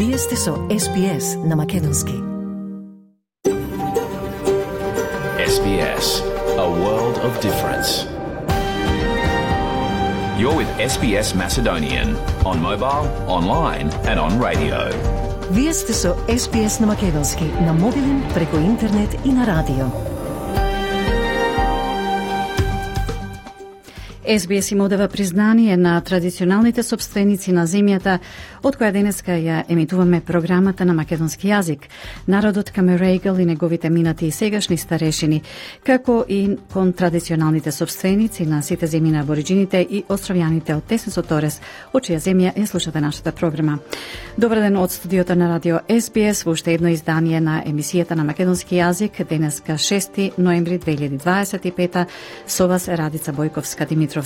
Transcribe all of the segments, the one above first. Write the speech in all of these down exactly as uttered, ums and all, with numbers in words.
Вие сте со Ес Би Ес на Македонски. Ес Би Ес, a world of difference. You're with Ес Би Ес Macedonian on mobile, online and on radio. Вие сте со Ес Би Ес на Македонски, на мобилен, преку интернет и на радио. Ес Би Ес им одава признание на традиционалните сопственици на земјата, од која денеска ја емитуваме програмата на македонски јазик. Народот Камерейгал и неговите минати и сегашни старешини, како и кон традиционалните сопственици на сите земји на абориджините и островјаните од Тесен Торес, од чија земја ја слушате нашата програма. Добар ден од студиото на радио Ес Би Ес во уште едно издание на емисијата на македонски јазик, денеска шести ноември две илјади дваесет и пета, со вас Радица Бојковска Димитровска.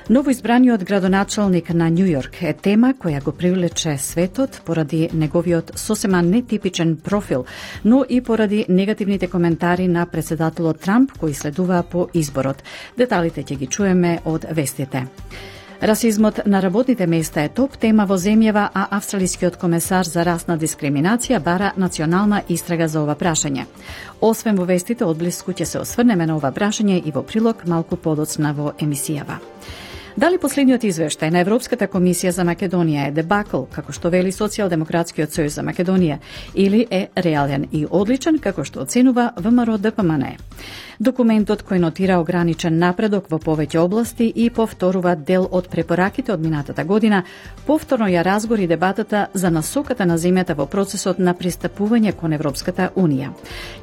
Новоизбраниот градоначалник на Њу Јорк е тема која го привлече светот поради неговиот сосема нетипичен профил, но и поради негативните коментари на председателот Трамп кои следуваа по изборот. Деталите ќе ги чуеме од вестите. Расизмот на работните места е топ тема во земјава, а австралискиот комесар за расна дискриминација бара национална истрага за ова прашање. Освен во вестите, одблиску ќе се осврнеме на ова прашање и во прилог малку подоцна во емисијава. Дали последниот извештај на Европската комисија за Македонија е дебакл, како што вели Социјалдемократскиот сојуз за Македонија, или е реален и одличен, како што оценува Вэ Ем Ар О Д П М Н? Документот кој нотира ограничен напредок во повеќе области и повторува дел од препораките од минатата година, повторно ја разгори дебатата за насоката на земјата во процесот на пристапување кон Европската Унија.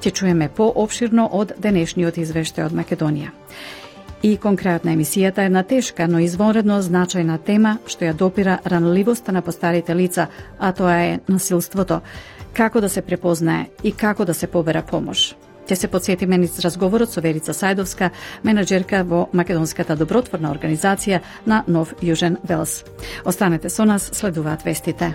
Ќе чуеме поопширно од денешниот извештај од Македонија. И кон крајот на емисијата една тешка, но извонредно значајна тема што ја допира ранливоста на постарите лица, а тоа е насилството. Како да се препознае и како да се побера помош. Ќе се подсетиме низ разговорот со Верица Сајдовска, менаџерка во Македонската добротворна организација на Нов Јужен Велс. Останете со нас, следуваат вестите.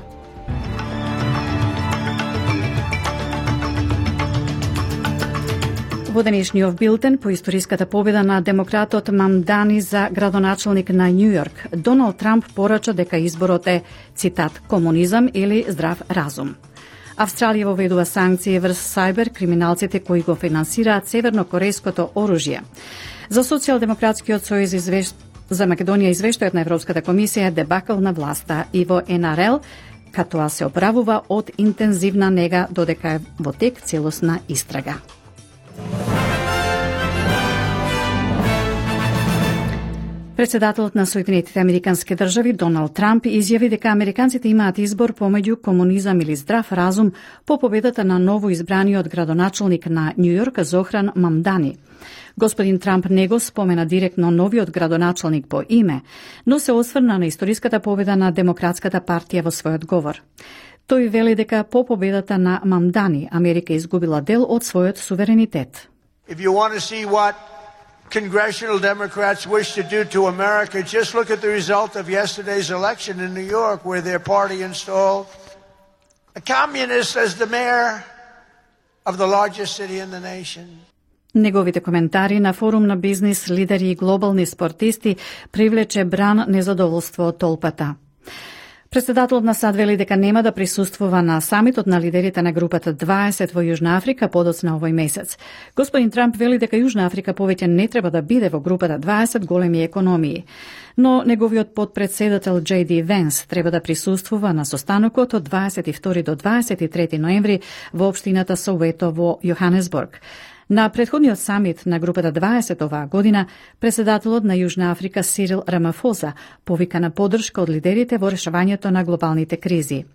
Во денешниот билтен по историската победа на демократот Мамдани за градоначалник на Њу Јорк, Доналд Трамп порача дека изборот е, цитат, комунизам или здрав разум. Австралија воведува санкции врз сајбер криминалците кои го финансираат севернокорејското оружје. За Социјалдемократскиот сојуз извешт... за Македонија извештајот на Европската комисија е дебакл на власта и во Ен Ар Ел, катоа се оправува од интензивна нега додека е во тек целосна истрага. Председателот на Соединетите Американски држави Доналд Трамп изјави дека американците имаат избор помеѓу комунизам или здрав разум по победата на ново избраниот градоначалник на Њу Јорк Зохран Мамдани. Господин Трамп не го спомена директно новиот градоначалник по име, но се осврна на историската победа на Демократската партија во својот говор. Тој вели дека по победата на Мамдани Америка изгубила дел од својот суверенитет. If you want to see what congressional Democrats wish to do to America, just look at the result of yesterday's election in New York, where their party installed a communist as the mayor of the largest city in the nation. Неговите коментари на форум на бизнис, лидери и глобални спортисти привлече бран незадоволство од толпата. Председателот на САД вели дека нема да присуствува на самитот на лидерите на групата дваесет во Јужна Африка подоцна овој месец. Господин Трамп вели дека Јужна Африка повеќе не треба да биде во групата дваесет големи економии. Но неговиот подпредседател Џеј Ди Венс треба да присуствува на состанокот од дваесет и втори до дваесет и трети ноември во општината Соуето во Јоханесбург. На претходниот самит на групата дваесет оваа година, председателот на Јужна Африка Сирил Рамафоза повика на поддршка од лидерите во решавањето на глобалните кризи.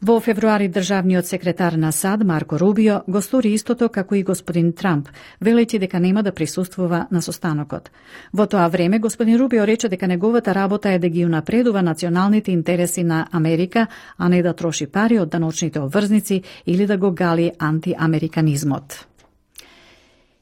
Во февруари државниот секретар на САД Марко Рубио го стори истото како и господин Трамп, велејќи дека нема да присуствува на состанокот. Во тоа време господин Рубио рече дека неговата работа е да ги унапредува националните интереси на Америка, а не да троши пари од даночните обврзници или да го гали антиамериканизмот.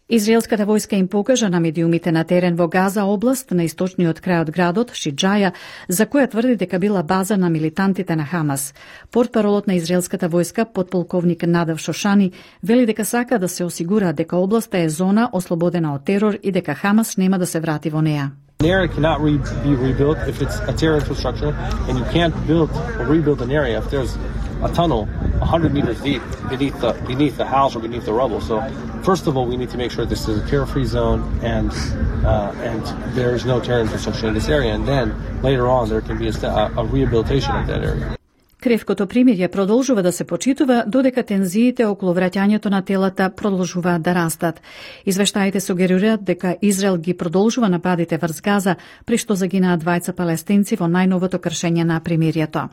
Израелската војска им покажа на медиумите на терен во Газа област на источниот крај од градот Шиџаја, за која тврди дека била база на милитантите на Хамас. Портпаролот на израелската војска, подполковник Надав Шошани, вели дека сака да се осигура дека областа е зона ослободена од терор и дека Хамас нема да се врати во неа. An area cannot re- be rebuilt if it's a terror infrastructure, and you can't build or rebuild an area if there's a tunnel one hundred meters deep beneath the beneath the house or beneath the rubble. So, first of all, we need to make sure this is a terror-free zone and uh, and there is no terror infrastructure in this area. And then later on, there can be a, a rehabilitation of that area. Кревкото примирје продолжува да се почитува додека тензиите околу враќањето на телата продолжуваат да растат. Извештаите сугерираат дека Израел ги продолжува нападите врз Газа, при што загинаа двајца палестинци во најновото кршење на примирието.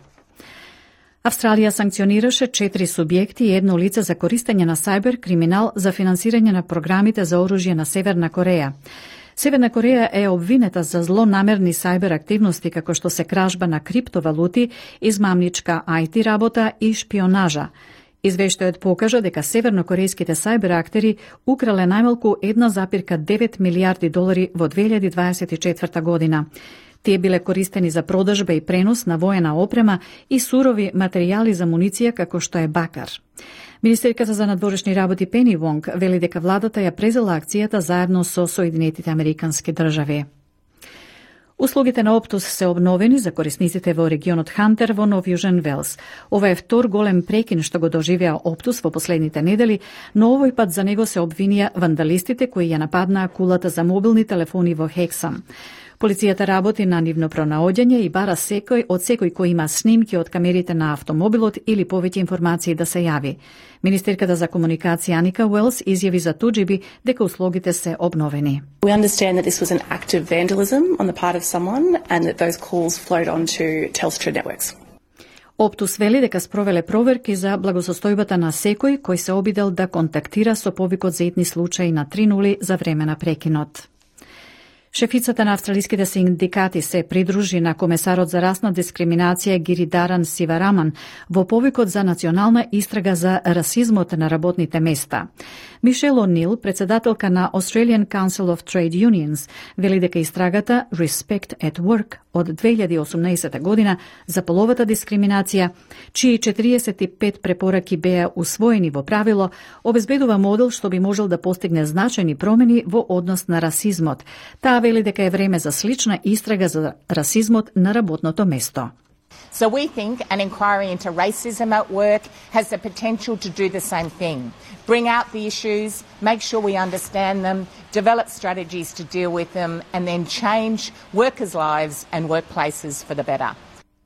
Австралија санкционираше четири субјекти и едно лице за користење на сајбер криминал за финансирање на програмите за оружје на Северна Кореја. Северна Кореја е обвинета за злонамерни сајбер активности како што се кражба на криптовалути, измамничка ај ти работа и шпионажа. Извештајот покажа дека севернокорејските сајбер актери украле најмалку една запирка девет милијарди долари во две илјади дваесет и четврта година. Тие биле користени за продажба и пренос на воена опрема и сурови материјали за муниција како што е бакар. Министерката за надворешни работи Пени Вонг вели дека владата ја презела акцијата заедно со Соединетите Американски држави. Услугите на Оптус се обновени за корисниците во регионот Хантер во Нов Јужен Велс. Ова е втор голем прекин што го доживеа Оптус во последните недели, но овој пат за него се обвинија вандалистите кои ја нападнаа кулата за мобилни телефони во Хексам. Полицијата работи на нивно пронаоѓање и бара секој од секој кој има снимки од камерите на автомобилот или повеќе информации да се јави. Министерката за комуникација Аника Уелс изјави за Туџиби дека услугите се обновени. We understand that this was an act of vandalism on the part of someone and that those calls flowed onto Telstra networks. Оптус вели дека спровеле проверки за благосостојбата на секој кој се обидел да контактира со повикот за итни случаи на три нули за време на прекинот. Шефицата на австралиските синдикати се придружи на комесарот за расна дискриминација Гиридаран Сивараман во повикот за национална истрага за расизмот на работните места. Мишел О'Нил, председателка на Australian Council of Trade Unions, вели дека истрагата Respect at Work од две илјади и осумнаесета година за половата дискриминација, чии четириесет и пет препораки беа усвоени во правило, обезбедува модел што би можел да постигне значајни промени во однос на расизмот. Таа вели дека е време за слична истрага за расизмот на работното место. So we think an inquiry into racism at work has the potential to do the same thing. Bring out the issues, make sure we understand them, develop strategies to deal with them, and then change workers' lives and workplaces for the better.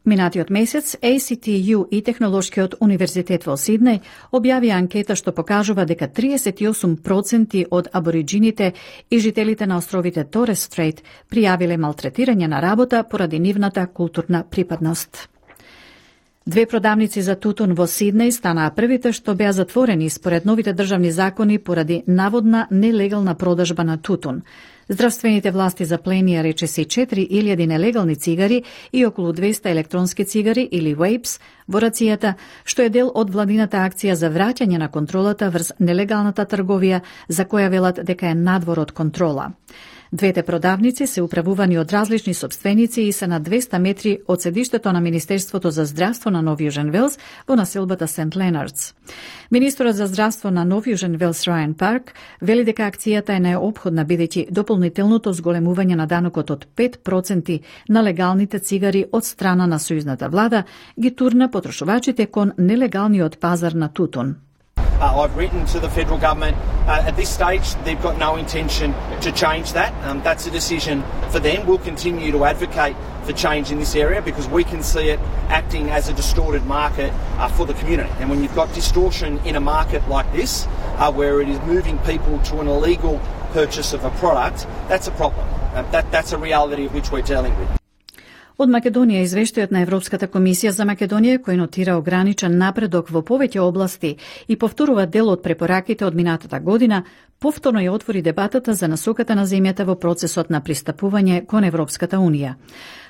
Минатиот месец А Си Ти Ю и Технолошкиот универзитет во Сиднеј објавија анкета што покажува дека триесет и осум проценти од абориџините и жителите на островите Торес Стрейт пријавиле малтретирање на работа поради нивната културна припадност. Две продавници за тутун во Сиднеј станаа првите што беа затворени според новите државни закони поради наводна нелегална продажба на тутун. Здравствените власти запленија речиси четири илјади нелегални цигари и околу двеста електронски цигари или вейпс во рацијата, што е дел од владината акција за враќање на контролата врз нелегалната трговија, за која велат дека е надвор од контрола. Двете продавници се управувани од различни собственици и се на двеста метри од седиштето на Министерството за здравство на Нов Јужен Велс во населбата Сент Ленардс. Министерот за здравство на Нов Јужен Велс Рајан Парк вели дека акцијата е неопходна бидејќи дополнителното зголемување на данокот од пет проценти на легалните цигари од страна на сојузната влада ги турна потрошувачите кон нелегалниот пазар на тутун. Uh, I've written to the federal government. Uh, at this stage, they've got no intention to change that. Um, that's a decision for them. We'll continue to advocate for change in this area because we can see it acting as a distorted market uh, for the community. And when you've got distortion in a market like this, uh, where it is moving people to an illegal purchase of a product, that's a problem. Uh, that, that's a reality of which we're dealing with. Од Македонија извештајот на Европската комисија за Македонија, кој нотира ограничен напредок во повеќе области и повторува дел од препораките од минатата година, повторно ја отвори дебатата за насоката на земјата во процесот на пристапување кон Европската унија.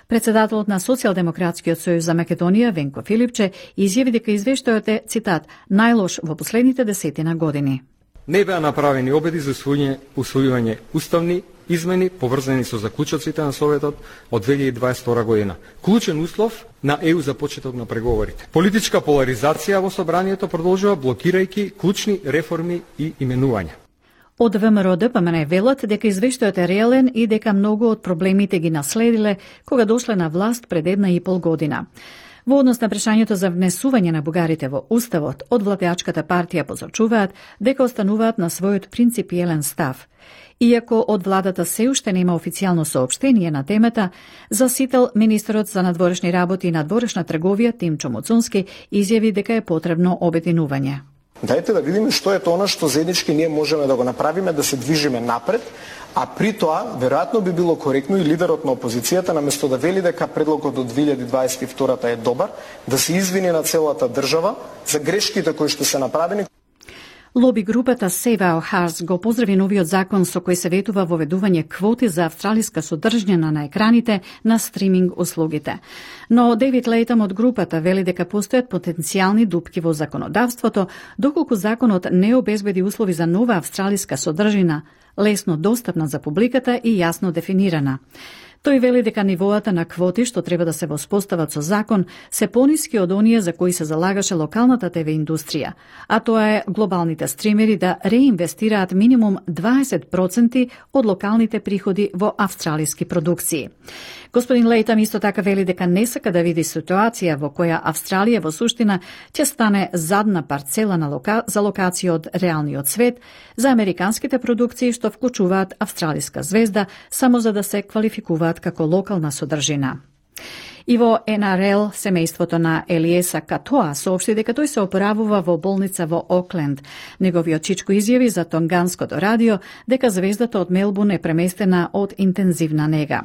Председателот на Социјалдемократскиот сојуз за Македонија, Венко Филипче, изјави дека извештајот е, цитат, најлош во последните десетина години. Не беа направени обиди за усвојување уставни измени поврзани со заклучоците на Советот од две илјади дваесет и втора година. Клучен услов на Е У за почеток на преговорите. Политичка поларизација во собранието продолжува блокирајќи клучни реформи и именувања. Од ВМРО-ДПМН велат дека извештајот е реален и дека многу од проблемите ги наследиле кога дошле на власт пред една и пол година. Во однос на прашањето за внесување на бугарите во Уставот, од владеачката партија посочуваат дека остануваат на својот принципиелен став. Иако од владата се уште нема официјално соопштение на темата, за Сител министерот за надворешни работи и надворешна трговија Тимчо Муцунски изјави дека е потребно обединување. Дајте да видиме што е тоа што заеднички ние можеме да го направиме, да се движиме напред, а при тоа веројатно би било коректно и лидерот на опозицијата наместо да вели дека предлогот од две илјади дваесет и втора е добар, да се извини на целата држава за грешките кои што се направени. Лоби групата Save Our Hearts го поздрави новиот закон со кој се ветува воведување квоти за австралиска содржина на екраните на стриминг услугите. Но Дейвид Лейтам од групата вели дека постојат потенцијални дупки во законодавството, доколку законот не обезбеди услови за нова австралиска содржина, лесно достапна за публиката и јасно дефинирана. Тој вели дека нивоата на квоти што треба да се воспостават со закон се пониски од оние за кои се залагаше локалната ТВ индустрија, а тоа е глобалните стримери да реинвестираат минимум дваесет проценти од локалните приходи во австралиски продукции. Господин Лейтам исто така вели дека не сака да види ситуација во која Австралија во суштина ќе стане задна парцела на лока... за локација од реалниот свет за американските продукции што вклучуваат австралиска звезда само за да се квалификуваат како локална содржина. И во Ен Ар Ел, семејството на Елиеса Катоа соопшти дека тој се опоравува во болница во Окленд. Неговиот чичко изјави за Тонганското радио дека звездата од Мелбурн е преместена од интензивна нега.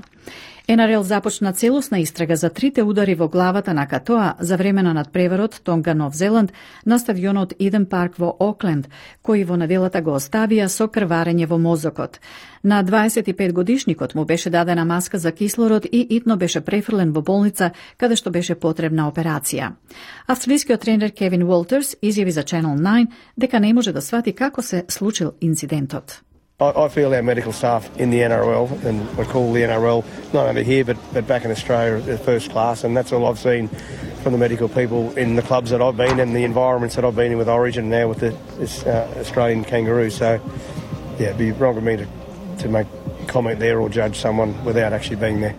Ен Ар Ел започна целосна истрага за трите удари во главата на Катоа за време на надпреварот Тонга Нов Зеланд на стадионот Иден Парк во Окленд, кои во неделата го оставија со крварење во мозокот. На дваесет и пет годишникот му беше дадена маска за кислород и итно беше префрлен во болница каде што беше потребна операција. Австралискиот тренер Кевин Уолтерс изјави за Channel nine дека не може да свати како се случил инцидентот. I feel our medical staff in the N R L, and we call the N R L not only here but, but back in Australia at first class, and that's all I've seen from the medical people in the clubs that I've been in, the environments that I've been in with Origin now with the this, uh, Australian Kangaroos. So, yeah, it'd be wrong of me to, to make comment there or judge someone without actually being there.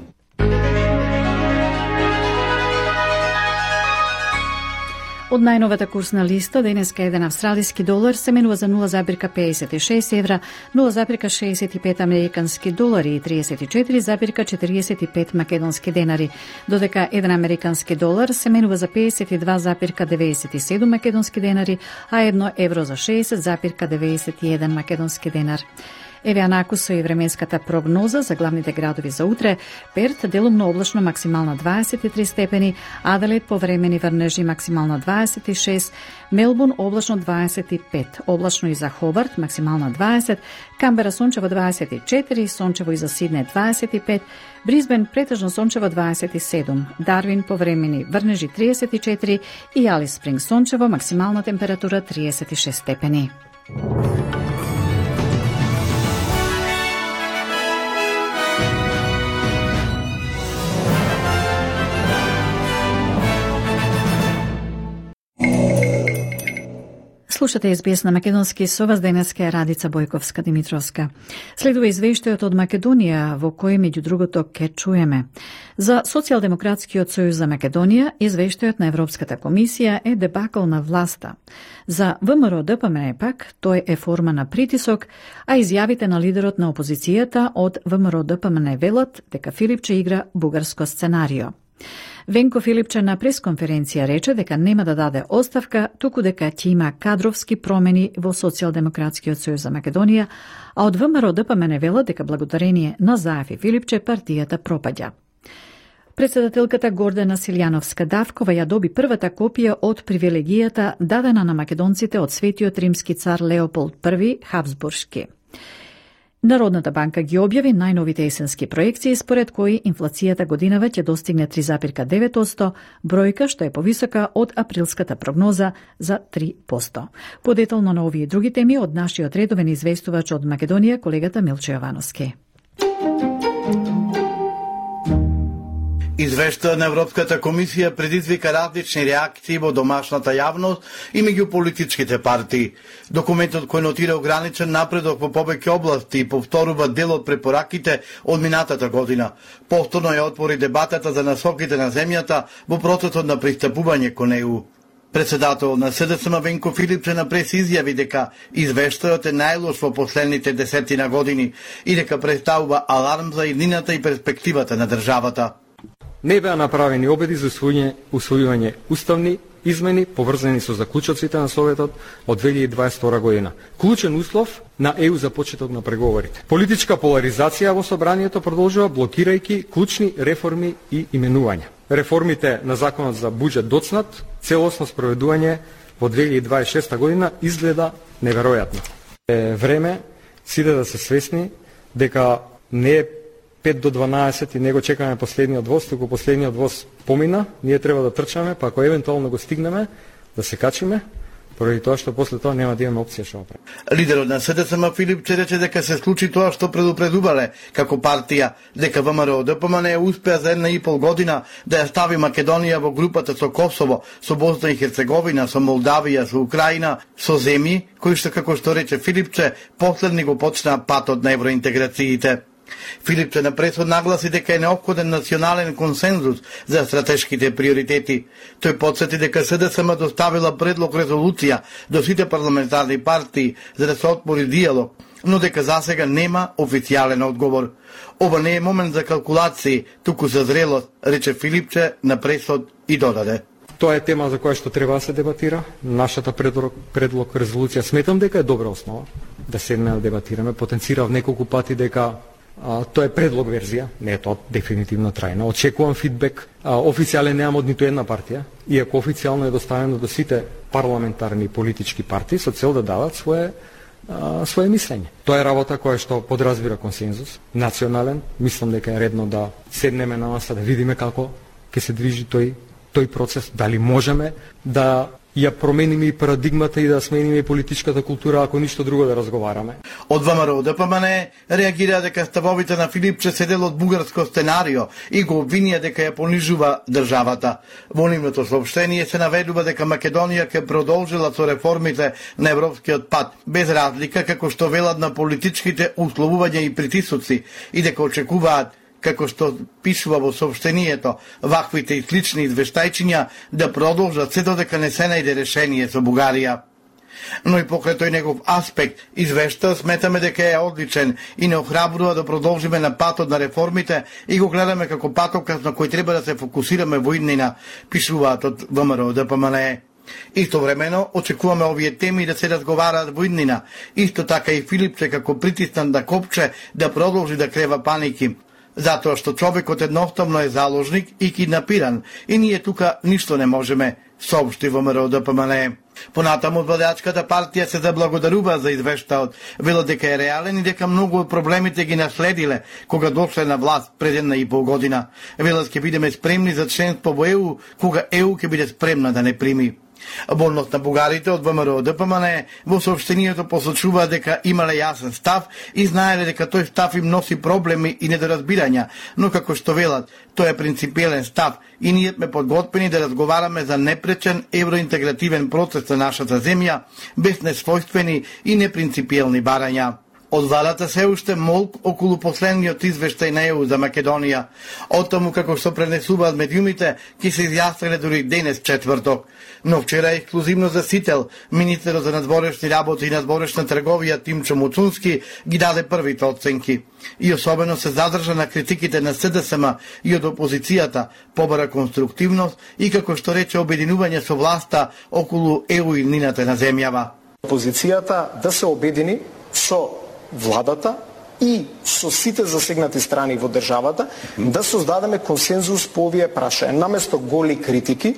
Од најновата курсна листа, денеска еден австралиски долар се менува за нула запирка педесет и шест евра, нула запирка шеесет и пет американски долари и триесет и четири запирка четириесет и пет македонски денари, додека еден американски долар се менува за педесет и два запирка деветдесет и седум македонски денари, а едно евро за шеесет запирка деветдесет и еден македонски денар. Еве анакусо и временската прогноза за главните градови за утре. Перт делумно облачно максимална дваесет и три степени, Аделаид повремени врнежи максимална дваесет и шест, Мелбурн облачно дваесет и пет, облачно и за Хобарт максимална дваесет, Камбера сончево дваесет и четири, сончево и за Сидне дваесет и пет, Брисбен претежно сончево дваесет и седум, Дарвин повремени врнежи триесет и четири и Алис Спринг сончево максимална температура триесет и шест степени. Слушате Ес Би Ес на македонски, со вас денеска е Радица Бојковска-Димитровска. Следува извештајот од Македонија, во кој меѓу другото ке чуеме. За Социјалдемократскиот сојуз за Македонија, извештајот на Европската комисија е дебакл на власта. За ВМРО-ДПМН пак, тој е форма на притисок, а изјавите на лидерот на опозицијата од ВМРО-ДПМН велат дека Филипче игра бугарско сценарио. Венко Филипче на пресконференција рече дека нема да даде оставка, туку дека ќе има кадровски промени во Социјалдемократскиот сојуз за Македонија, а од ВМРО-ДПМН велат дека благодарение на Заев и Филипче партијата пропаѓа. Председателката Гордана Силјановска-Давкова ја доби првата копија од привилегијата дадена на македонците од Светиот римски цар Леополд Први Хабсбуршки. Народната банка ги објави најновите есенски проекции според кои инфлацијата годинава ќе достигне три запирка девет одсто, бројка што е повисока од априлската прогноза за три одсто. Подетално на овие и други теми од нашиот редовен известувач од Македонија, колегата Милче Јовановски. Извештајот на Европската комисија предизвика различни реакции во домашната јавност и меѓу политичките партии. Документот кој нотира ограничен напредок во повеќе области и повторува дел од препораките од минатата година. Повторно ја отвори дебатата за насоките на земјата во процесот на пристапување кон Е У. Председател на С Д С М Венко Филипче на прес изјави дека извештајот е најлош во последните десетина години и дека представува аларм за иднината и перспективата на државата. Не беа направени обиди за усвојување, усвојување уставни измени поврзани со заклучоците на Советот од две илјади дваесет и втора година. Клучен услов на Е У за почеток на преговорите. Политичка поларизација во собранието продолжува блокирајќи клучни реформи и именувања. Реформите на законот за буџет доцнат, целосно спроведување во две илјади дваесет и шеста година изгледа неверојатно. Е време сите да се свесни дека не е пет до дванаесет и него чекаме последниот воз, туку последниот воз помина, ние треба да трчаме, па ако евентуално го стигнеме, да се качиме, поради тоа што после тоа нема да имаме опција што направи. Лидерот на С Д С М Филипче рече дека се случи тоа што предупредувале како партија, дека В М Р О Д П М Н успеа за една и пол година да ја стави Македонија во групата со Косово, со Босна и Херцеговина, со Молдавија, со Украина, со земји кои што, како што рече Филипче, последни го почнаа патот на евроинтеграциите. Филипче на пресот нагласи дека е неопходен национален консензус за стратешките приоритети. Тој потсети дека С Д С М доставила предлог резолуција до сите парламентарни партии за да се отвори диалог, но дека засега нема официјален одговор. Ова не е момент за калкулации, туку за зрелост, рече Филипче на пресот и додаде. Тоа е тема за која што треба да се дебатира. Нашата предлог, предлог резолуција сметам дека е добра основа да седнеме да дебатираме. Потенцирав неколку пати дека А, тоа е предлог верзија, не е тоа дефинитивно трајно. Очекувам фидбек. А, официјален немам од ниту една партија, иако официјално е доставено до сите парламентарни политички партии со цел да дадат свое а, свое мислење. Тоа е работа која што подразбира консензус, национален. Мислам дека е редно да седнеме на маса да видиме како ќе се движи тој тој процес, дали можеме да ја промениме и парадигмата и да смениме и политичката култура, ако ништо друго да разговараме. Од В М Р О Д П М Н реагира дека ставовите на Филипче се дел од бугарско сценарио и го обвинија дека ја понижува државата. Во нивното соопштение се наведува дека Македонија ќе продолжила со реформите на европскиот пат, без разлика како што велат на политичките условувања и притисоци, и дека очекуваат, како што пишува во соопштението, ваквите и слични извештајчиња да продолжат се додека не се најде решение со Бугарија. Но и покрај тој негов аспект, извешта сметаме дека е одличен и не охрабрува да продолжиме на патот на реформите и го гледаме како патоказ на кој треба да се фокусираме во иднина, пишуваат од В М Р О Д П М Н. Истовремено очекуваме овие теми да се разговараат во иднина. Исто така и Филипче како притиснат да копче да продолжи да крева паники, затоа што човекот едноставно е заложник и киднапиран и ние тука ништо не можеме, соопшти Во М Р О Д П М Н. Понатаму владеачката партија се заблагодарува за извештаот, вела дека е реален и дека многу од проблемите ги наследиле кога дошле на власт пред една и пол година. Вела ќе бидеме спремни за членство во Е У кога Е У ќе биде спремна да не прими. Болност на бугарите од В М Р О Д П М Н во соопштението посочува дека имале јасен став и знаеле дека тој став им носи проблеми и недоразбирања, но како што велат, тој е принципиелен став и ние сме подготвени да разговараме за непречен евроинтегративен процес на нашата земја, без несвојствени и непринципиелни барања. Од владата се уште молк околу последниот извештај на Е У за Македонија. Од таму како што пренесуваат медиумите, ќе се изјасниле дури денес четврток. Но вчера ексклузивно за Сител, министерот за надворешни работи и надворешна трговија Тимчо Муцунски ги даде првите оценки. И особено се задржа на критиките на С Д С М и од опозицијата, побара конструктивност и како што рече обединување со власта околу Е У и нината на земјава. Опозицијата да се обедини со владата и со сите засегнати страни во државата да создадеме консензус по овие прашања. Наместо голи критики,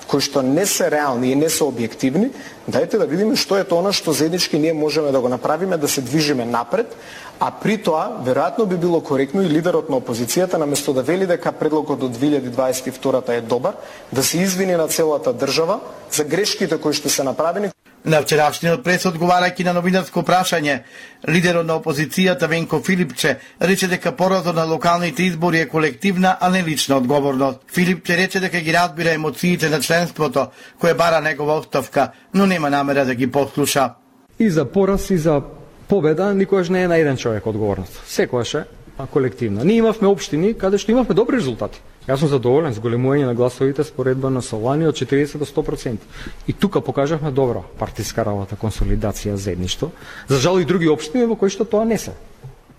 кои што не се реални и не се објективни, дајте да видиме што е тоа што заеднички ние можеме да го направиме, да се движиме напред, а при тоа, веројатно би било коректно и лидерот на опозицијата, наместо да вели дека предлогот до две илјади дваесет и втора е добар, да се извини на целата држава за грешките кои што се направени. На вчерашниот прес, одговарајќи на новинарско прашање, лидерот на опозицијата Венко Филипче рече дека поразот на локалните избори е колективна, а не лична одговорност. Филипче рече дека ги разбира емоциите на членството, кое бара негова оставка, но нема намера да ги послуша. И за пораз, и за победа никогаш не е на еден човек одговорност. Секогаш е колективна. Ние имавме општини каде што имавме добри резултати. Јас сум задоволен с големување на гласовите споредба на Солани од четириесет до сто проценти. И тука покажавме добра партиска работа, консолидација, заедништво. За жал и други општини во кои што тоа не се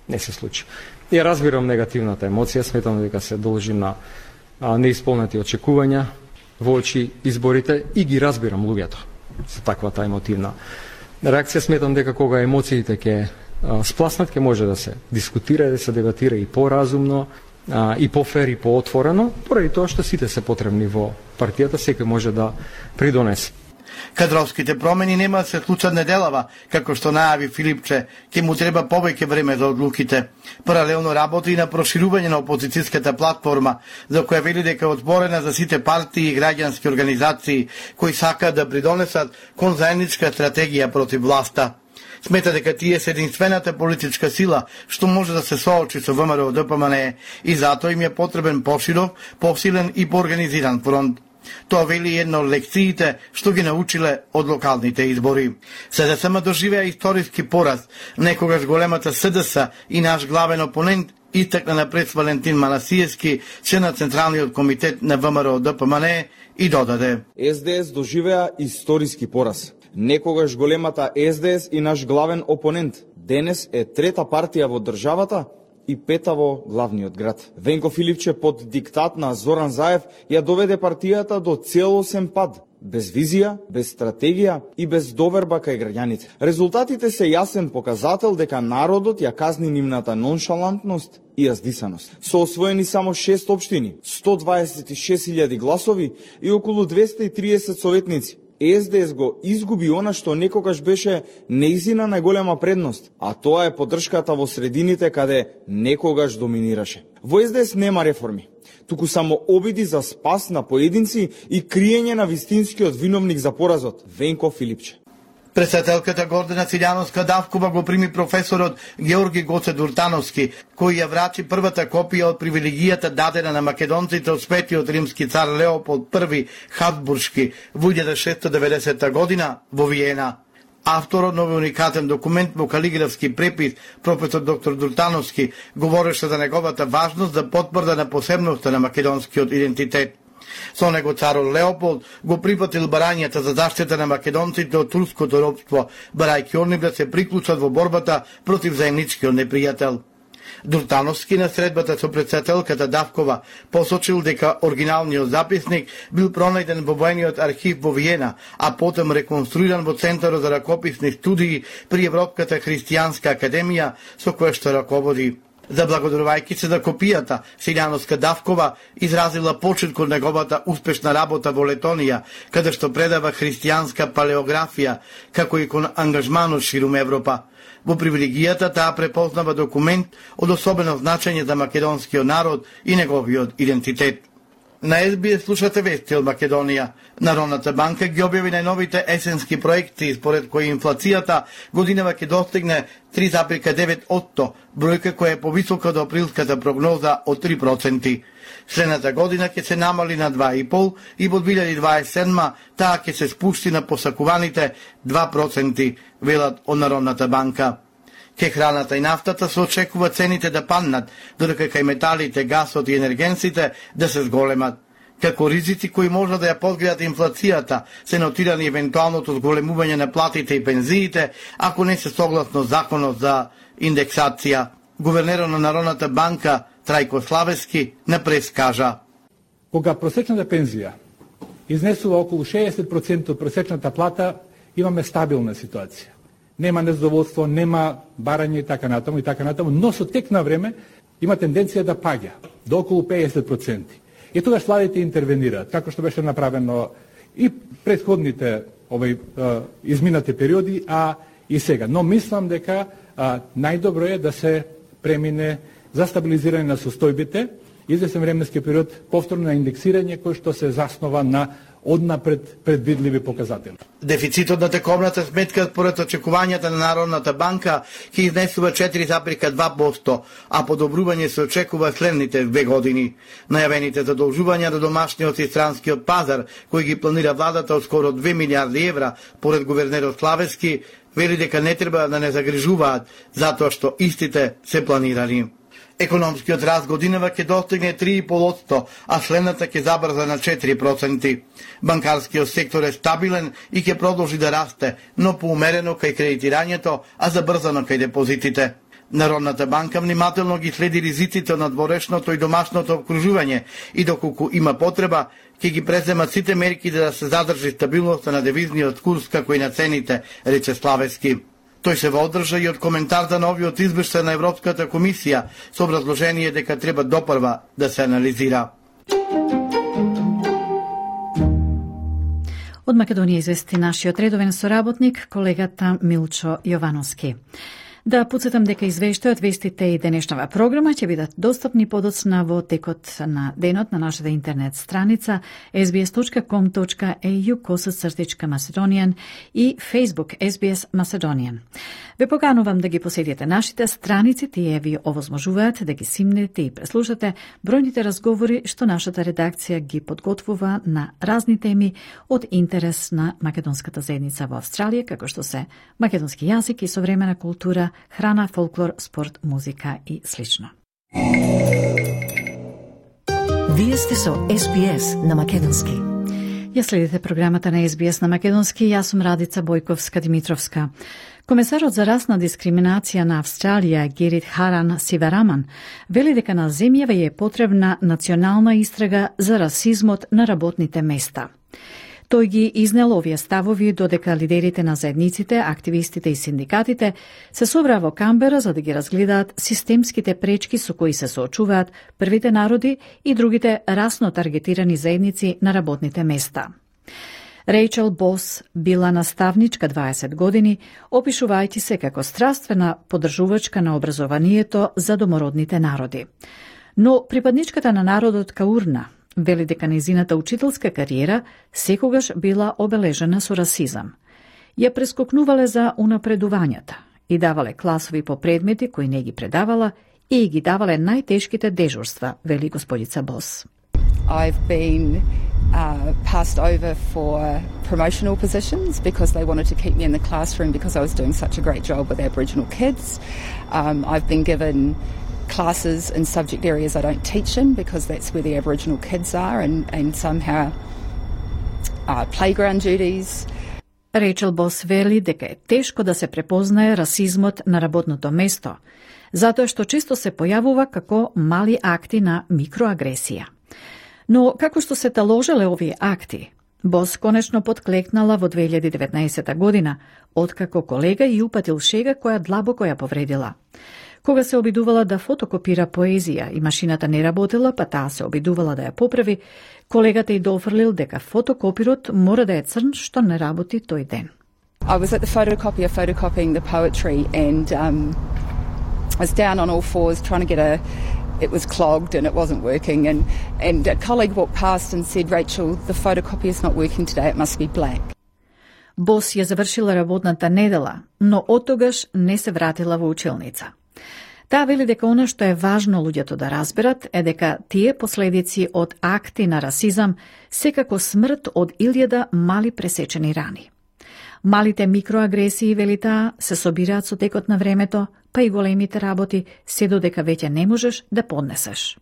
не се случи. Ја разбирам негативната емоција, сметам дека се должи на а, неисполнети очекувања во очи изборите и ги разбирам луѓето за таквата емотивна реакција. Сметам дека кога емоциите ќе спласнат, ќе може да се дискутира, да се дебатира и поразумно, а, и по-фер и по-отворено, поради тоа што сите се потребни во партијата, секој може да придонесе. Кадровските промени нема да се случат неделава, како што најави Филипче, ќе му треба повеќе време за одлуките. Паралелно работи и на проширување на опозицијската платформа, за која вели дека е отворена за сите партии и граѓански организации кои сакаат да придонесат кон заедничка стратегија против власта. Смета дека тие се единствената политичка сила што може да се соочи со ВМРО Д П М Н и затоа им е потребен поширок, посилен и поорганизиран фронт. Тоа вели една од лекциите што ги научиле од локалните избори. С Д С М доживеа историски пораз, некогаш големата С Д С и наш главен опонент истакна на прес Валентин Манасиевски, член на Централниот комитет на ВМРО Д П М Н и додаде: С Д С доживеа историски пораз. Некогаш големата С Д С и наш главен опонент, денес е трета партија во државата и пета во главниот град. Венко Филипче под диктат на Зоран Заев ја доведе партијата до целосен пад, без визија, без стратегија и без доверба кај граѓаните. Резултатите се јасен показател дека народот ја казни нивната ноншалантност и јаздисаност. Со освоени само шест општини, сто дваесет и шест илјади гласови и околу двесте и триесет советници, С Д С го изгуби она што некогаш беше неизина најголема предност, а тоа е поддршката во средините каде некогаш доминираше. Во С Д С нема реформи, туку само обиди за спас на поединци и криење на вистинскиот виновник за поразот, Венко Филипче. Председателката Гордана Силјановска-Давкова го прими професорот Георги Гоце Дуртановски, кој ја врачи првата копија од привилегијата дадена на македонците од светиот римски цар Леополд Први Хабсбуршки во илјада шестsto деветдесета година во Виена. Авторот на овој уникатен документ во калиграфски препис, професор доктор Дуртановски, говореше за неговата важност за потврда на посебноста на македонскиот идентитет. Со него царот Леополд го припатил барањата за заштита на македонците од турското робство, барајќи они да се приклучат во борбата против заемничкиот непријател. Дуртановски на средбата со председателката Давкова посочил дека оригиналниот записник бил пронајден во воениот архив во Виена, а потом реконструиран во Центарот за ракописни студии при Европската христијанска академија со која што раководи. Заблагодарувајќи се за копијата, Силјановска-Давкова изразила почит кон неговата успешна работа во Летонија, каде што предава христијанска палеографија, како и кон ангажманот ширум Европа. Во привилегијата таа препознава документ од особено значење за македонскиот народ и неговиот идентитет. На Ес Би Ес слушате вести од Македонија. Народната банка ги објави најновите есенски проекти, според кои инфлацијата годинава ќе достигне три зарез и девет одсто, бројка која е повисока од априлската прогноза од три проценти. Следната година ќе се намали на два и пол и во две илјади дваесет и седма таа ќе се спусти на посакуваните два проценти, велат од Народната банка. Ке храната и нафтата се очекува цените да паднат, додека кај металите, гасот и енергенсите да се зголемат. Како ризици кои може да ја подгреат инфлацијата, се нотирани евентуалното зголемување на платите и пензиите, ако не се согласно законот за индексација. Гувернерот на Народната банка Трајко Славески на прес кажа: Кога просечната пензија изнесува околу шеесет проценти од просечната плата, имаме стабилна ситуација. Нема незадоволство, нема барање и така натаму и така натаму, но со тек на време има тенденција да паѓа до околу пеесет проценти. И тогаш владите интервенираат, како што беше направено и претходните овој изминати периоди, а и сега. Но мислам дека а, најдобро е да се премине за стабилизирање на состојбите, извесен временски период повторно на индексирање кој што се заснова на однапред предвидливи показатели. Дефицитот на тековната сметка според очекувањата на Народната банка ќе изнесува четири зарез и два проценти, а подобрување се очекува следните две години. Најавените задолжувања до домашниот и странскиот пазар, кои ги планира владата од скоро две милиарди евра, поред гувернерот Славевски, вели дека не треба да не загрижуваат, затоа што истите се планирани. Економскиот раст годинава ќе достигне три и пол проценти, а следната ќе забрза на четири проценти. Банкарскиот сектор е стабилен и ќе продолжи да расте, но поумерено кај кредитирањето, а забрзано кај депозитите. Народната банка внимателно ги следи ризиците на дворешното и домашното обкружување и доколку има потреба, ќе ги преземат сите мерки да се задржи стабилноста на девизниот курс како и на цените, рече Славевски. Тој се водржа и од коментар за новиот извештај на Европската комисија со образложение дека треба допрва да се анализира. Од Македонија извести нашиот редовен соработник, колегата Милчо Јовановски. Да подсетам дека извештајот, вестите и денешнава програма ќе бидат достапни подоцна во текот на денот на нашата интернет страница ес би ес точка ком точка ей ю косацртичка Macedonian и Facebook ес би ес Macedonian. Ве поканувам да ги посетите нашите страници, тие ви овозможуваат да ги симнете и преслушате бројните разговори што нашата редакција ги подготвува на разни теми од интерес на македонската заедница во Австралија, како што се македонски јазик и современа култура, храна, фолклор, спорт, музика и слично. Вие сте со ес би ес на македонски. Ја следите програмата на ес би ес на македонски, јас сум Радица Бојковска-Димитровска. Комесарот за расна дискриминација на Австралија, Герит Харан Сивараман, вели дека на земјава е потребна национална истрага за расизмот на работните места. Тој ги изнел овие ставови додека лидерите на заедниците, активистите и синдикатите се собраа во Камбера за да ги разгледаат системските пречки со кои се соочуваат првите народи и другите расно таргетирани заедници на работните места. Рейчел Бос била наставничка дваесет години, опишувајќи се како страствена поддржувачка на образованието за домородните народи. Но припадничката на народот Каурна вели дека нејзината учителска кариера секогаш била обележена со расизам. Ја прескокнувале за унапредувањата и давале класови по предмети кои не ги предавала и ги давале најтешките дежурства, вели господица Бос. I've been uh, passed over for promotional positions because they wanted to keep me in the classroom because I was doing such a great job with Aboriginal kids. Um, I've been given classes in subject areas I don't teach in because that's where the Aboriginal kids are, and, and somehow uh, playground duties. Рейчел Бос вели дека е тешко да се препознае расизмот на работното место, затоа што често се појавува како мали акти на микроагресија. Но како што се таложеле овие акти, Бос конечно подклекнала во две илјади и деветнаесета година, откако колега и упатил шега која длабоко ја повредила. Кога се обидувала да фотокопира поезија и машината не работела, па таа се обидувала да ја поправи, колегата и дофрлил дека фотокопирот мора да е црн што не работи тој ден. I was at the photocopier photocopying the poetry and um, I was down on all fours trying to get a it was clogged and it wasn't working, and, and a colleague walked past and said, Rachel, the photocopier's not working today, it must be black. Бос ја завршила работната недела, но оттогаш не се вратила во училница. Таа вели дека она што е важно луѓето да разберат е дека тие последици од акти на расизам секако смрт од илјада мали пресечени рани. Малите микроагресии, вели таа, се собираат со текот на времето, па и големите работи, се додека веќе не можеш да поднесеш.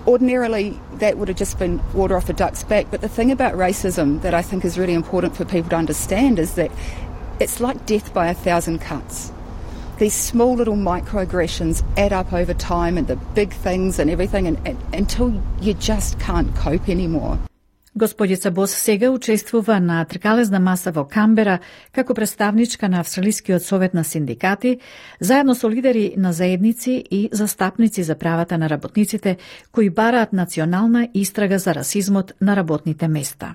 Ordinarily, that would have just been water off a duck's back, but the thing about racism that I think is really important for people to understand is that it's like death by a thousand cuts. These small little microaggressions add up over time and the big things and everything and, and, until you just can't cope anymore. Господица Бос сега учествува на тркалезна маса во Камбера како представничка на Австралискиот совет на синдикати, заедно со лидери на заедници и застапници за правата на работниците кои бараат национална истрага за расизмот на работните места.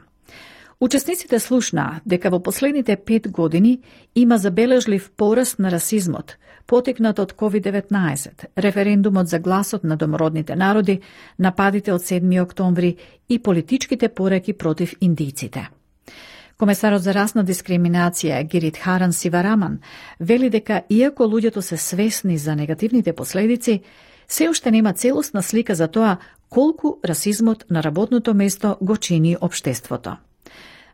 Учесниците слушнаа дека во последните пет години има забележлив пораст на расизмот, потекнат од ковид деветнаесет, референдумот за гласот на домородните народи, нападите од седми октомври и политичките пораки против индијците. Комесарот за расна дискриминација Гиридхаран Сивараман вели дека иако луѓето се свесни за негативните последици, се уште нема целосна слика за тоа колку расизмот на работното место го чини општеството.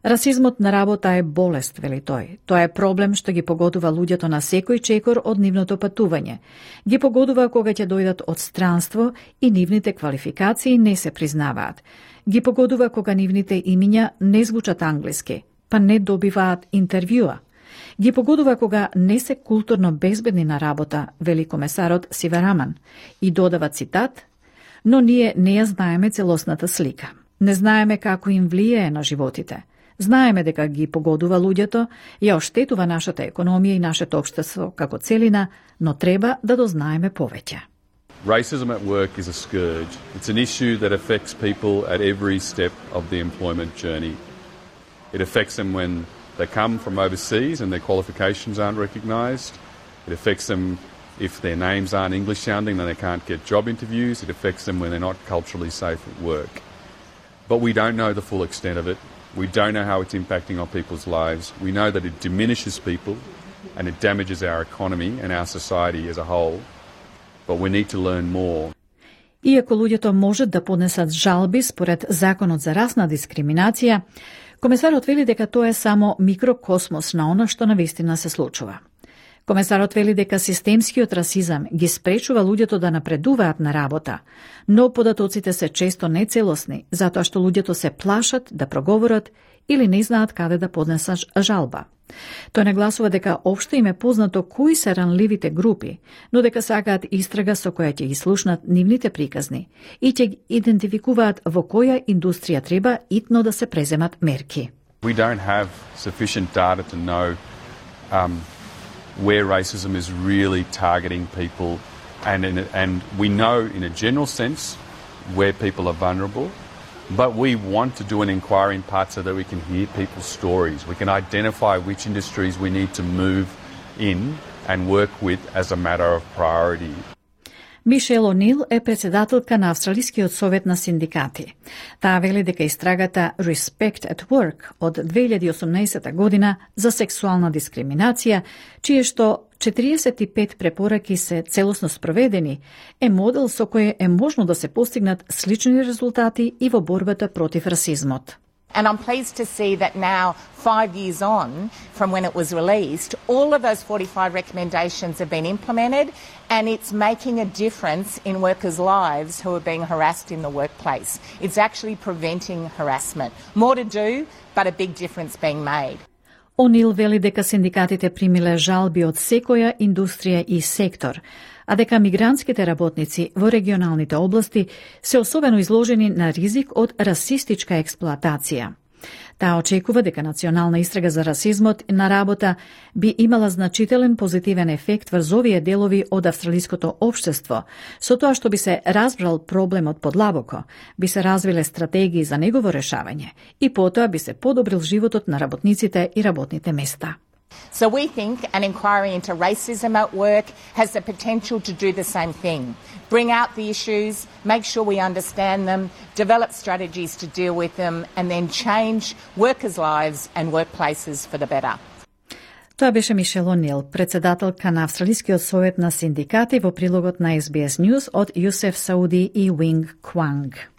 Расизмот на работа е болест, вели тој. Тоа е проблем што ги погодува луѓето на секој чекор од нивното патување. Ги погодува кога ќе дојдат од странство и нивните квалификации не се признаваат. Ги погодува кога нивните имиња не звучат англиски, па не добиваат интервјуа. Ги погодува кога не се културно безбедни на работа, вели комесарот Сивараман. И додава цитат: "Но ние не ја знаеме целосната слика. Не знаеме како им влијае на животите. Знаеме дека ги погодува луѓето, ја оштетува нашата економија и нашето општество како целина, но треба да дознаеме повеќе." Racism at work is a scourge. It's an issue that affects people at every step of the employment journey. It affects them when they come from overseas and their qualifications aren't recognised. It affects them if their names aren't English sounding and they can't get job interviews. It affects them when they're not culturally safe at work. But we don't know the full extent of it. We don't know how it's impacting on people's lives. We know that it diminishes people and it damages our economy and our society as a whole. But we need to learn more. Иако луѓето можат да поднесат жалби според Законот за расна дискриминација, комесарот вели дека тоа е само микрокосмос на она што навистина се случува. Комесарот вели дека системскиот расизам ги спречува луѓето да напредуваат на работа, но податоците се често нецелосни, затоа што луѓето се плашат да проговорат или не знаат каде да поднесат жалба. Тој нагласува дека општо им е познато кои се ранливите групи, но дека сакаат истрага со која ќе ги слушнат нивните приказни и ќе ги идентификуваат во која индустрија треба итно да се преземат мерки. We don't have sufficient data to know um, where racism is really targeting people, and in a, and we know in a general sense where people are vulnerable, but we want to do an inquiry in part so that we can hear people's stories. We can identify which industries we need to move in and work with as a matter of priority. Мишел Онил е председателка на Австралискиот совет на синдикати. Таа вели дека истрагата Respect at Work од две илјади и осумнаесета година за сексуална дискриминација, чие што четириесет и пет препораки се целосно спроведени, е модел со кој е можно да се постигнат слични резултати и во борбата против расизмот. And I'm pleased to see that now, five years on from when it was released, all of those forty-five recommendations have been implemented, and it's making a difference in workers' lives who are being harassed in the workplace. It's actually preventing harassment. More to do, but a big difference being made. Онил вели дека синдикатите примиле жалби од секоја индустрија и сектор, а дека мигрантските работници во регионалните области се особено изложени на ризик од расистичка експлоатација. Таа очекува дека национална истрага за расизмот на работа би имала значителен позитивен ефект врз овие делови од австралиското општество, со тоа што би се разбрал проблемот подлабоко, би се развиле стратегии за негово решавање и потоа би се подобрил животот на работниците и работните места. So we think an inquiry into racism at work has the potential to do the same thing. Bring out the issues, make sure we understand them, develop strategies to deal with them, and then change workers' lives and workplaces for the better. Тоа беше Мишел Онил, председателка на Австралискиот совет на синдикати, во прилогот на Ес Би Ес News од Јусеф Сауди и Уинг Кванг.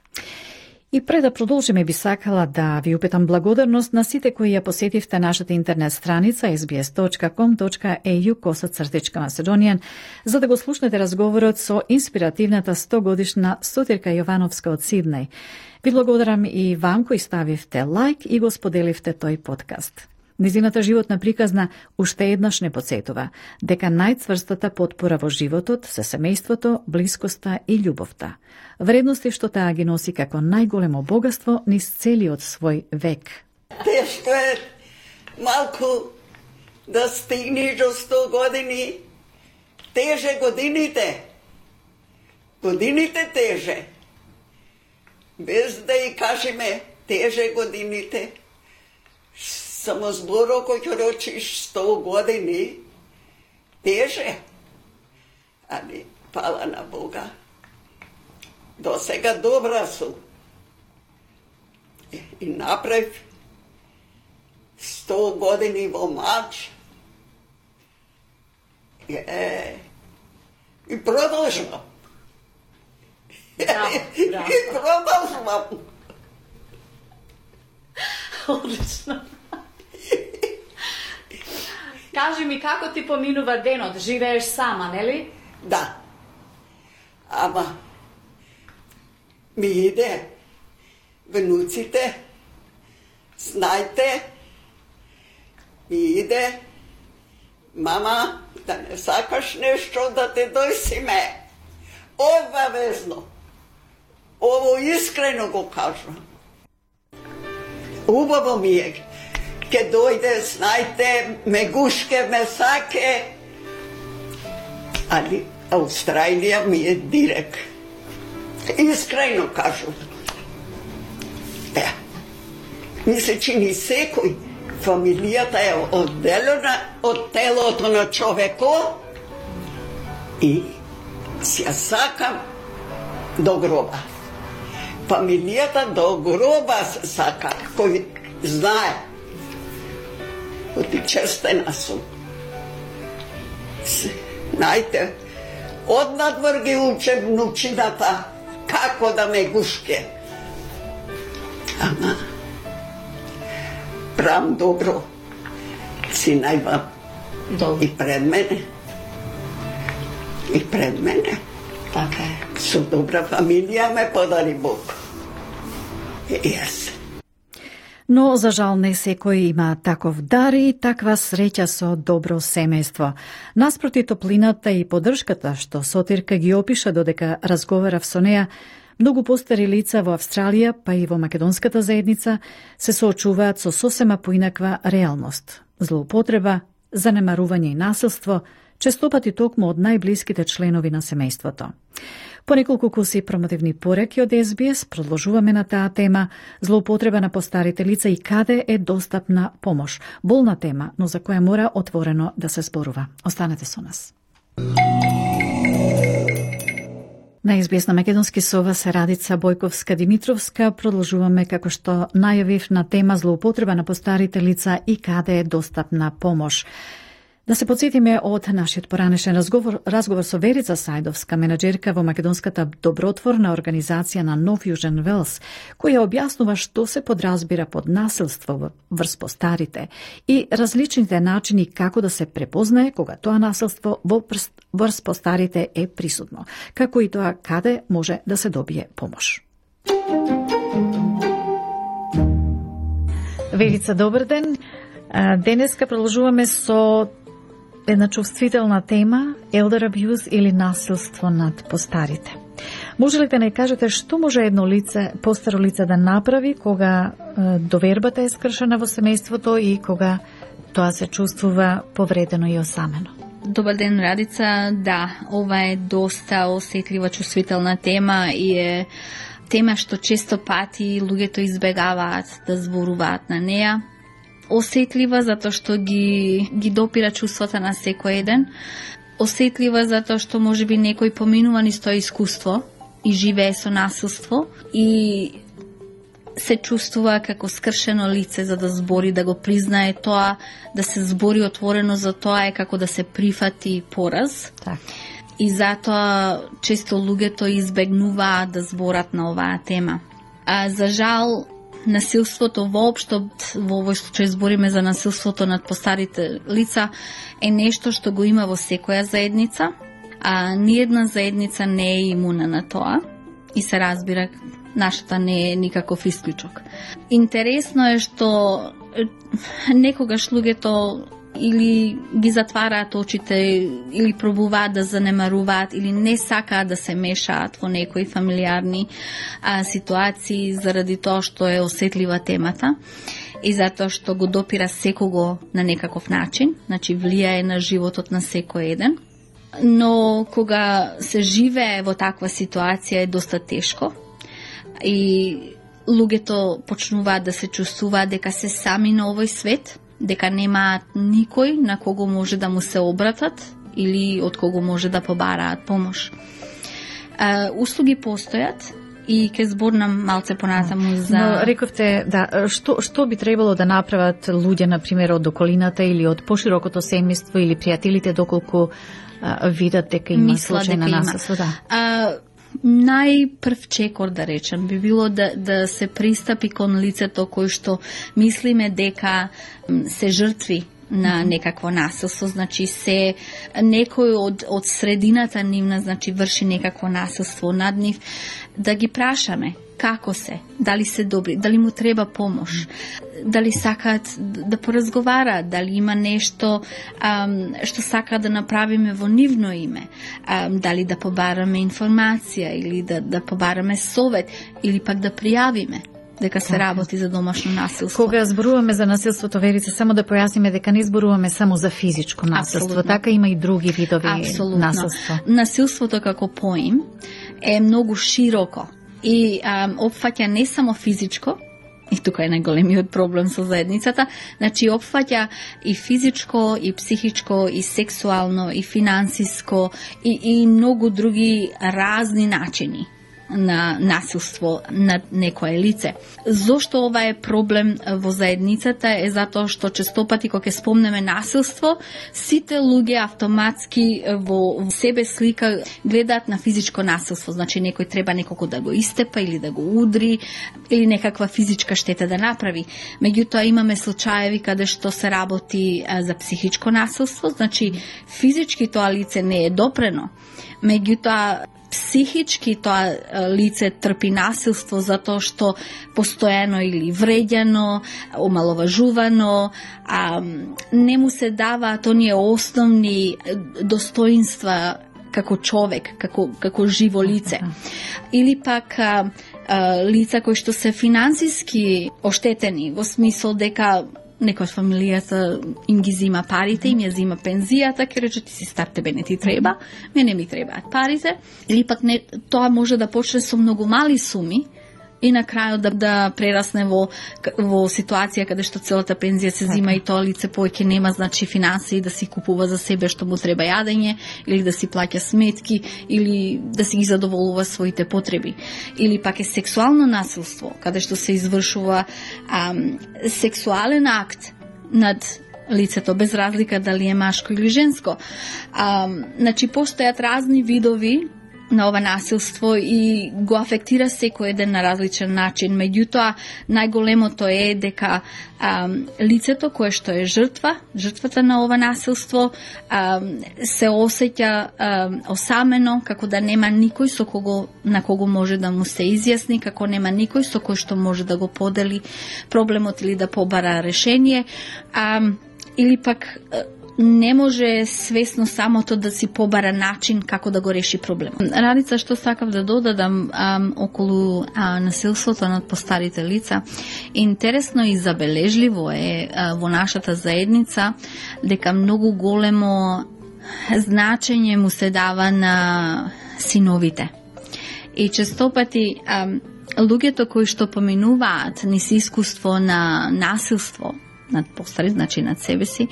И пред да продолжиме, би сакала да ви упитам благодарност на сите кои ја посетивте нашата интернет страница ес би ес точка ком точка е ю косацртичка Macedonian за да го слушнете разговорот со инспиративната сто годишна Сотирка Јовановска од Сиднеј. Ви благодарам и вам кои ставивте лайк и го споделивте тој подкаст. Незината животна приказна уште еднаш не подсетува дека најцврстата потпора во животот се семејството, блискоста и љубовта. Вредности што таа ги носи како најголемо богатство низ целиот свој век. Тешко е малку да стигнеш до сто години. Теже годините. Годините теже. Без да и кажеме теже годините. Само зборо кој ќе рочиш сто години, теже, али пала на Бога. До сега добра сум. И направив сто години во мач. Е, и продолжувам. Браво, браво. И продолжувам. Одлично. Кажи ми, како ти поминува денот? Живееш сама, нели? Да. Ама ми иде внуците, знајте, ми иде, мама, да не сакаш нешто да те дојсиме. Обавезно. Ово искрено го кажам. Убаво ми е. Ке дојде, знајте, мегушке, месаке. Али Австралија ми е дирек. Искрено кажам. Е, ми се чини секој. Фамилијата е одделена од телото на човеко и си ја сакам до гроба. Фамилијата до гроба се сака, кој знае. Оти честена сум. Знајте, однадвор ги уче внучината како да ме гушке. Ама, правам добро. Сина имам и пред мене. И пред мене. Така е. Со добра фамилија ме подари Бог. Јас. Но, за жал, не секој има таков дар и таква среќа со добро семејство. Наспроти топлината и поддршката што Сотирка ги опиша додека разговарав со неа, многу постари лица во Австралија, па и во македонската заедница, се соочуваат со сосема поинаква реалност. Злоупотреба, занемарување и насилство, честопати токму од најблиските членови на семејството. По неколку куси промотивни пореки од Ес Би Ес продолжуваме на таа тема злоупотреба на постарите лица и каде е достапна помош. Болна тема, но за која мора отворено да се зборува. Останете со нас. На Ес Би Ес на македонски со вас Радица Бојковска-Димитровска. Продолжуваме како што најавив на тема злоупотреба на постарите лица и каде е достапна помош. Да се подсетиме од нашиот поранешен разговор, разговор со Верица Сајдовска, менаџерка во македонската добротворна организација на Нов Јужен Велс, која објаснува што се подразбира под насилство врз постарите и различните начини како да се препознае кога тоа насилство во врз постарите е присутно, како и тоа каде може да се добие помош. Верица, добар ден. Денеска продолжуваме со една чувствителна тема, elder abuse или насилство над постарите. Може ли да не кажете што може едно лице, постаро лице да направи кога е, довербата е скршена во семејството и кога тоа се чувствува повредено и осамено? Добар ден, Радица. Да, ова е доста осетлива, чувствителна тема и е тема што често пати луѓето избегаваат да зборуваат на неа. Осетлива затоа што ги, ги допира чувствата на секој еден. Осетлива затоа што можеби некој поминува низ тоа искуство и живее со насилство и се чувствува како скршено лице за да збори, да го признае тоа, да се збори отворено за тоа е како да се прифати пораз. Так. И затоа често луѓето избегнуваат да зборат на оваа тема. А за жал, насилството воопшто, во овој случај збориме за насилството над постарите лица, е нешто што го има во секоја заедница, а ниедна заедница не е имуна на тоа и се разбира, нашата не е никаков исклучок. Интересно е што некогаш луѓето или ги затвараат очите, или пробуваат да занемаруваат, или не сакаат да се мешаат во некои фамилиарни а, ситуации заради тоа што е осетлива темата и затоа што го допира секого на некаков начин, значи влијае на животот на секој еден. Но кога се живее во таква ситуација е доста тешко и луѓето почнуваат да се чувствуваат дека се сами на овој свет, дека немаат никој на кого може да му се обратат или од кого може да побараат помош. Uh, услуги постојат и ќе зборнам малце понатаму за... Но рековте, да, што, што би требало да направат луѓе, например, од околината или од поширокото семејство или пријателите, доколку а, видат дека има Мисла случај на дека насилство? Да. А, најпрв чекор, да речем, би било да, да се пристапи кон лицето кој што мислиме дека се жртви на некакво насилство, значи се некој од, од средината нивна, значи врши некакво насилство над нив, да ги прашаме како се, дали се добри, дали му треба помош, дали сакаат да поразговараат, дали има нешто ам, што сака да направиме во нивно име, ам, дали да побараме информација или да, да побараме совет или пак да пријавиме дека се работи за домашно насилство. Кога зборуваме за насилството, Верица, само да појасниме дека не зборуваме само за физичко насилство, Абсолютно. така има и други видови Абсолютно. насилство. Насилството како поим е многу широко и ам, опфаќа не само физичко, и тука е најголемиот проблем со заедницата, значи опфаќа и физичко, и психичко, и сексуално, и финансиско, и, и многу други разни начини на насилство над некое лице. Зошто ова е проблем во заедницата е затоа што честопати кога ќе спомнеме насилство, сите луѓе автоматски во себе слика гледаат на физичко насилство, значи некој треба некако да го истепа или да го удри или некаква физичка штета да направи. Меѓутоа имаме случаеви каде што се работи за психичко насилство, значи физички тоа лице не е допрено, меѓутоа психички тоа лице трпи насилство затоа што постојано или вреѓано, омаловажувано, а, не му се даваат оние основни достоинства како човек, како, како живо лице. Или пак а, а, лица кои што се финансиски оштетени, во смисол дека некој од фамилијата им ги зима парите, им ја зима пензијата, ќе рече ти си стар, тебе не ти треба, мене ми требаат парите, или пак не, тоа може да почне со многу мали суми и на крајот да, да прерасне во, во ситуација каде што целата пензија се зима и тоа лице повеќе нема, значи, финансии да си купува за себе што му треба јадење, или да си плаќа сметки, или да си ги задоволува своите потреби. Или пак е сексуално насилство, каде што се извршува ам, сексуален акт над лицето, без разлика дали е машко или женско. Ам, значи, постојат разни видови на ова насилство и го афектира секој еден на различен начин. Меѓутоа, најголемото е дека а, лицето кое што е жртва, жртвата на ова насилство, а, се осеќа а, осамено, како да нема никој со кого, на кого може да му се изјасни, како нема никој со кој што може да го подели проблемот или да побара решение, а, или пак не може свесно самото да си побара начин како да го реши проблемот. Радица, што сакав да додадам ам, околу а, насилството над постарите лица, интересно и забележливо е а, во нашата заедница дека многу големо значење му се дава на синовите. И честопати ам, луѓето кои што поминуваат низ искуство на насилство над постари, значи над себе си,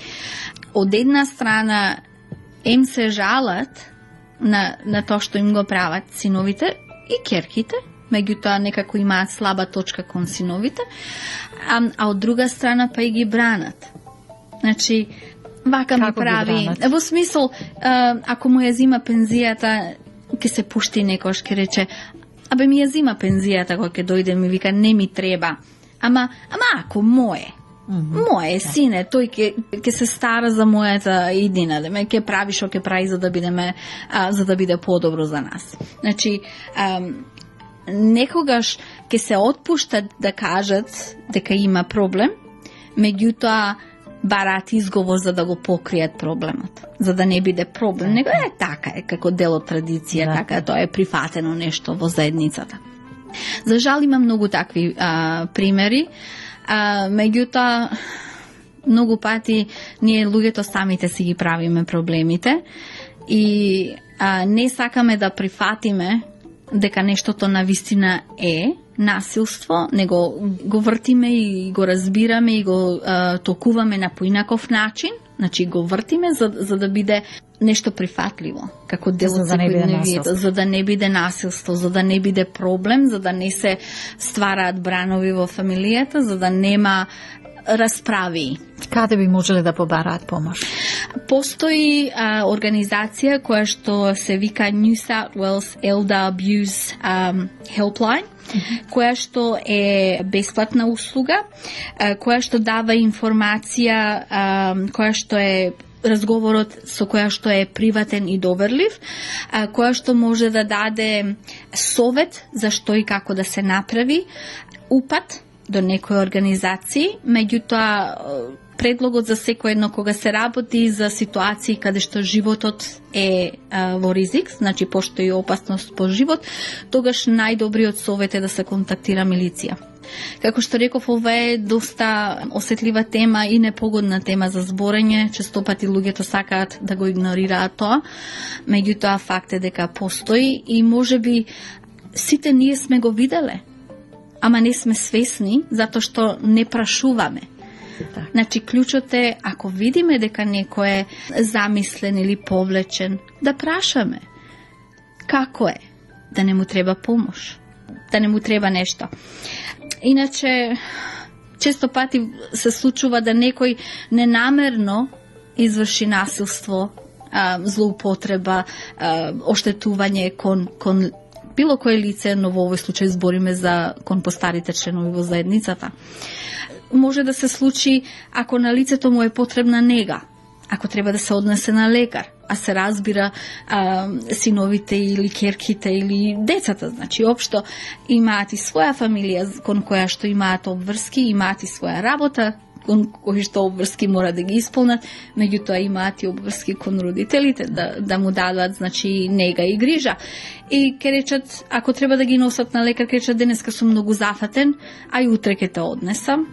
од една страна им се жалат на, на тоа што им го прават синовите и ќерките, меѓутоа некако имаат слаба точка кон синовите, а, а од друга страна па и ги бранат. Значи, вака ми прави, во смисол, а, ако му ја зима пензијата, ќе се пушти некош, ќе рече, абе ми ја зима пензијата кога ќе дојде, ми вика, не ми треба, ама, ама ако мое, Mm-hmm. Моје сине, тој ќе ќе се стара за мојата иднина, да ме ќе прави што ќе прави за да бидеме а, за да биде подобро за нас. Значи, а, некогаш ќе се отпуштат да кажат дека има проблем, меѓутоа бараат изговор за да го покријат проблемот, за да не биде проблем, него е така, е како дел од традиција, yeah. така тоа е прифатено нешто во заедницата. За жал има многу такви а, примери. А, меѓутоа, многу пати ние луѓето самите си ги правиме проблемите и а, не сакаме да прифатиме дека нештото навистина е насилство, него го вртиме и го разбираме и го а, толкуваме на поинаков начин, значи го вртиме за, за да биде нешто прифатливо, како дел од секојдневието, за да не биде насилство, за да не биде проблем, за да не се ствараат бранови во фамилијата, за да нема расправи. Каде би можеле да побараат помош? Постои а, организација која што се вика New South Wales Elder Abuse um, Helpline, mm-hmm. која што е бесплатна услуга, а, која што дава информација, а, која што е разговорот со која што е приватен и доверлив, а, која што може да даде совет за што и како да се направи, упат до некои организации, меѓутоа предлогот за секој едно кога се работи за ситуации каде што животот е а, во ризик, значи постои опасност по живот, тогаш најдобриот совет е да се контактира милиција. Како што реков, ова е доста осетлива тема и непогодна тема за зборење, често пати луѓето сакаат да го игнорираат тоа, меѓутоа факт е дека постои и можеби сите ние сме го виделе, ама не сме свесни, затоа што не прашуваме. Так. Значи, клучот е, ако видиме дека некој е замислен или повлечен, да прашаме. Како е? Да не му треба помош. Да не му треба нешто. Иначе, често пати се случува да некој ненамерно изврши насилство, злоупотреба, оштетување кон, кон било кое лице, но во овој случај збориме за кон постарите членови во заедницата. Може да се случи ако на лицето му е потребна нега, ако треба да се однесе на лекар, а се разбира а, синовите или керките или децата, значи општо имаат и своја фамилија кон која што имаат обврски, имаат и своја работа, кон кои што обврски мора да ги исполнат, меѓутоа имаат и обврски кон родителите да, да му дадат, значи, нега и грижа. И ке речат, ако треба да ги носат на лекар, ке речат, денеска сум многу зафатен, а и утре ке те однесам,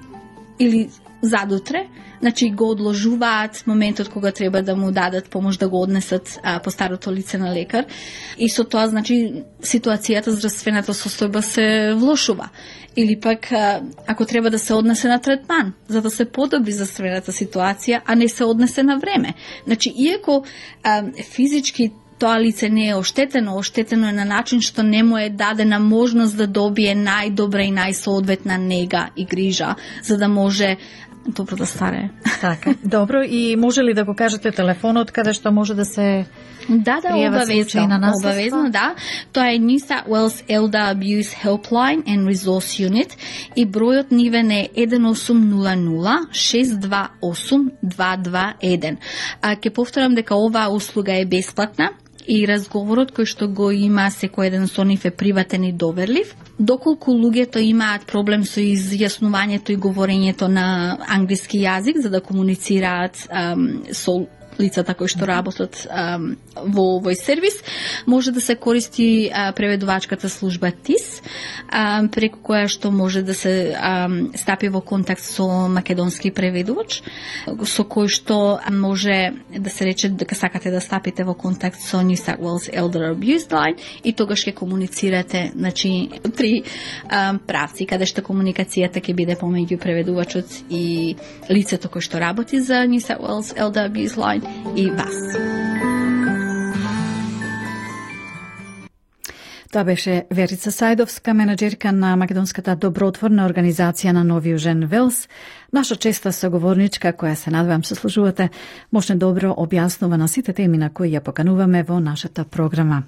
или задутре, значи го одложуваат моментот кога треба да му дадат помош да го однесат а, по старото лице на лекар, и со тоа, значи, ситуацијата, здравствената состојба се влошува. Или пак, а, ако треба да се однесе на третман, за да се подобри здравствената ситуација, а не се однесе на време. Значи, иако а, физички тоа лице не е оштетено, оштетено е на начин што не му е дадена можност да добие најдобра и најсоодветна нега и грижа, за да може добро да старее. Така, добро, и може ли да го кажете телефонот каде што може да се Да, да, обавезно, обавезно, да. Тоа е New South Wales Elder Abuse Helpline and Resource Unit и бројот нивен е еден осум нула нула шест два осум два два еден. А ќе повторам дека оваа услуга е бесплатна и разговорот кој што го има секој еден со нив е приватен и доверлив. Доколку луѓето имаат проблем со изјаснувањето и говорењето на англиски јазик за да комуницираат ам, со лицата кои што работат ам, во овој сервис, може да се користи а, преведувачката служба ТИС, а, преку која што може да се ам, стапи во контакт со македонски преведувач, со кој што може да се рече дека сакате да стапите во контакт со New South Wales Elder Abuse Line и тогаш ќе комуницирате, значи, три ам, правци, каде што комуникацијата ќе биде помеѓу преведувачот и лицето кој што работи за New South Wales Elder Abuse Line и вас. Тоа беше Верица Сајдовска, менаџерка на македонската добротворна организација на Нови Јужен Велс, наша честа соговорничка која се надевам се служувате, може добро објаснува на сите теми на кои ја покануваме во нашата програма.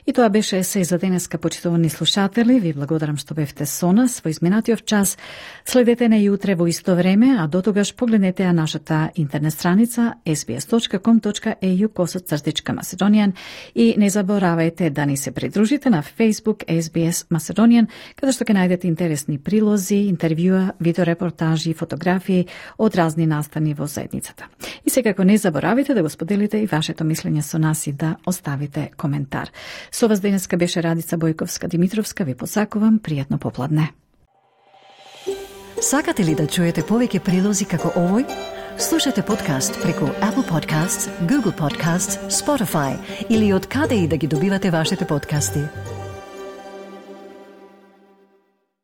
И тоа беше се за денеска, почитувани слушатели. Ви благодарам што бевте со нас во изминатиот час. Следете не и утре во исто време, а до тогаш погледнете ја нашата интернет страница ес би ес точка ком точка ей ю косацртичка Macedonian и не заборавајте да ни се придружите на Facebook ес би ес Macedonian, каде што ќе најдете интересни прилози, интервјуа, видеорепортажи и фотографии од разни настани во заедницата. И секако не заборавите да го споделите и вашето мислење со нас и да оставите коментар. Со вас денеска беше Радица Бојковска-Димитровска. Ви посакувам пријатно попладне. Сакате ли да чуете повеќе прилози како овој? Слушате подкаст преку Apple Podcasts, Google Podcasts, Spotify или од каде и да ги добивате вашите подкасти.